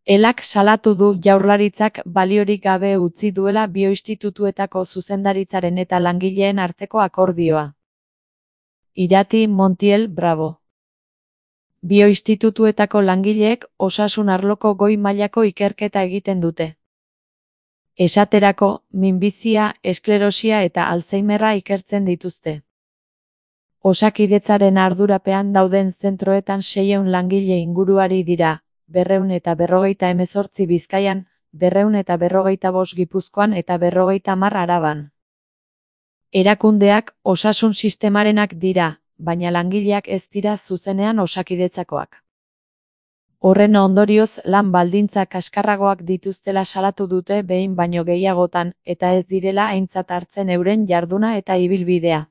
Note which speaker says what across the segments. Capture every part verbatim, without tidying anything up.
Speaker 1: Elak salatu du Jaurlaritzak baliorik gabe utzi duela bioinstitutuetako zuzendaritzaren eta langileen arteko akordioa. Irati Montiel Bravo. Bioinstitutuetako langileek osasun arloko goi mailako ikerketa egiten dute. Esaterako, minbizia, esklerosia eta Alzheimerra ikertzen dituzte. Osakidetzaren ardurapean dauden zentroetan seiehun langile inguruari dira, berrehun eta berrogeita hemezortzi Bizkaian, berrehun eta berrogeita bost Gipuzkoan eta berrogeita hamar Araban. Erakundeak osasun sistemarenak dira, baina langileak ez dira zuzenean osakidetzakoak. Horren ondorioz lan baldintza kaskarragoak dituztela salatu dute behin baino gehiagotan, eta ez direla aintzat hartzen euren jarduna eta ibilbidea.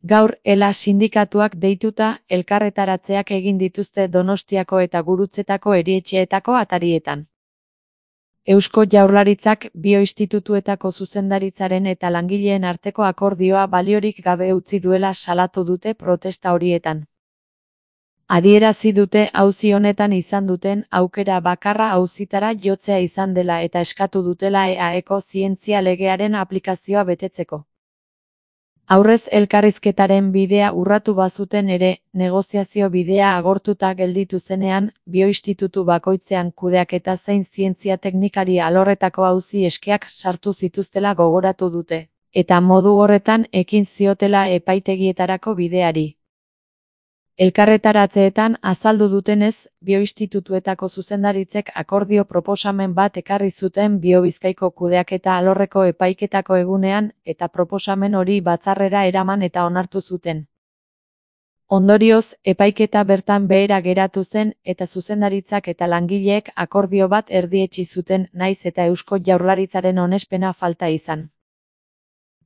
Speaker 1: Gaur Ela sindikatuak deituta elkarretaratzeak egin dituzte Donostiako eta Gurutzetako erietxeetako atarietan. Eusko Jaurlaritzak bioinstitutuetako zuzendaritzaren eta langileen arteko akordioa baliorik gabe utzi duela salatu dute protesta horietan. Adierazi dute auzi honetan izan duten aukera bakarra auzitara jotzea izan dela eta eskatu dutela E A Eko zientzia legearen aplikazioa betetzeko. Aurrez elkarrizketaren bidea urratu bazuten ere, negoziazio bidea agortuta gelditu zenean, bioinstitutu bakoitzean kudeaketa zein zientzia teknikari alorretako auzi eskeak sartu zituztela gogoratu dute, eta modu horretan ekin ziotela epaitegietarako bideari. Elkarretaratzeetan azaldu dutenez, bioinstitutuetako zuzendaritzek akordio proposamen bat ekarri zuten Biobizkaiko kudeaketa alorreko epaiketako egunean eta proposamen hori batzarrera eraman eta onartu zuten. Ondorioz, epaiketa bertan behera geratu zen eta zuzendaritzak eta langileek akordio bat erdietsi zuten naiz eta Eusko Jaurlaritzaren onespena falta izan.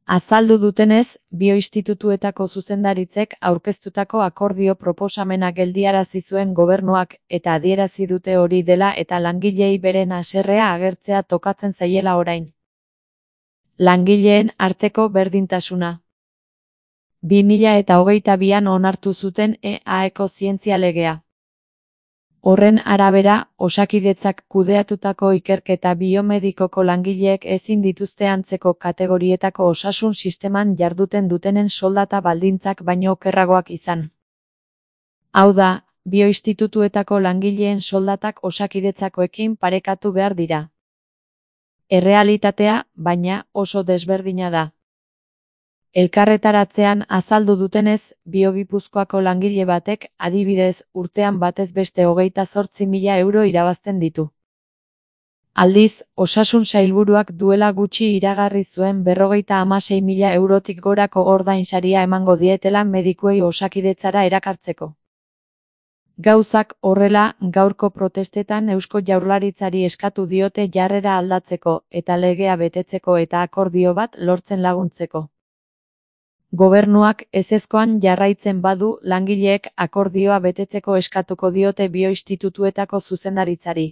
Speaker 1: Azaldu dutenez, bioinstitutuetako zuzendaritzek aurkeztutako akordio proposamena geldiarazi zuen gobernuak eta adierazi dute hori dela eta langileei beren haserrea agertzea tokatzen zaiela orain. Langileen arteko berdintasuna. bi mila hogeita bian onartu zuten E A Eko zientzia legea. Horren arabera, osakidetzak kudeatutako ikerketa biomedikoko langileek ezin dituzte antzeko kategorietako osasun sisteman jarduten dutenen soldata baldintzak baino okerragoak izan. Hau da, bioinstitutuetako langileen soldatak osakidetzakoekin parekatu behar dira. Errealitatea, baina, oso desberdina da. Elkarretaratzean azaldu dutenez, Biogipuzkoako langile batek, adibidez, urtean batez beste hogeita zortzi mila euro irabazten ditu. Aldiz, osasun sailburuak duela gutxi iragarri zuen berrogeita hamasei mila eurotik gorako ordainsaria emango dietela medikuei osakidetzara erakartzeko. Gauzak horrela, gaurko protestetan Eusko Jaurlaritzari eskatu diote jarrera aldatzeko eta legea betetzeko eta akordio bat lortzen laguntzeko. Gobernuak ezezkoan jarraitzen badu langileek akordioa betetzeko eskatuko diote bioinstitutuetako zuzendaritzari.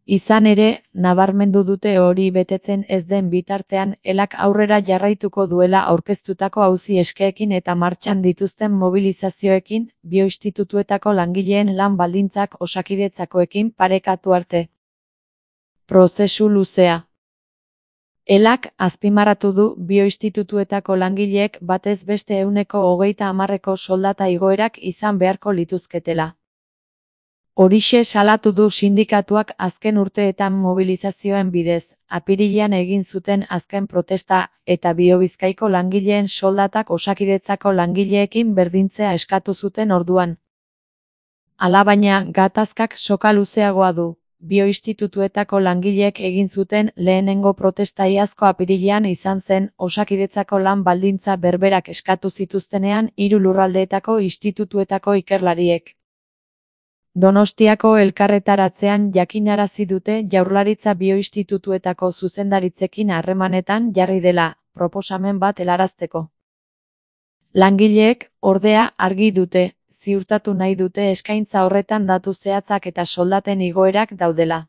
Speaker 1: Izan ere, nabarmendu dute hori betetzen ez den bitartean Elak aurrera jarraituko duela aurkeztutako auzi eskeekin eta martxan dituzten mobilizazioekin bioinstitutuetako langileen lan baldintzak osakidetzakoekin parekatu arte. Prozesu luzea. Elak azpimarratu du bioinstitutuetako langileek batez beste ehuneko hogeita hamarreko soldata igoerak izan beharko lituzketela. Horixe salatu du sindikatuak azken urteetan mobilizazioen bidez, apirilean egin zuten azken protesta eta Biobizkaiko langileen soldatak osakidetzako langileekin berdintzea eskatu zuten orduan. Alabaina, gatazkak soka luzeagoa du. Bioinstitutuetako langileek egin zuten lehenengo protesta iazko apirilean izan zen osakidetzako lan baldintza berberak eskatu zituztenean hiru lurraldeetako institutuetako ikerlariek. Donostiako elkarretaratzean jakinarazi dute Jaurlaritza bioinstitutuetako zuzendaritzekin harremanetan jarri dela, proposamen bat helarazteko. Langileek, ordea, argi dute, ziurtatu nahi dute eskaintza horretan datu zehatzak eta soldaten igoerak daudela.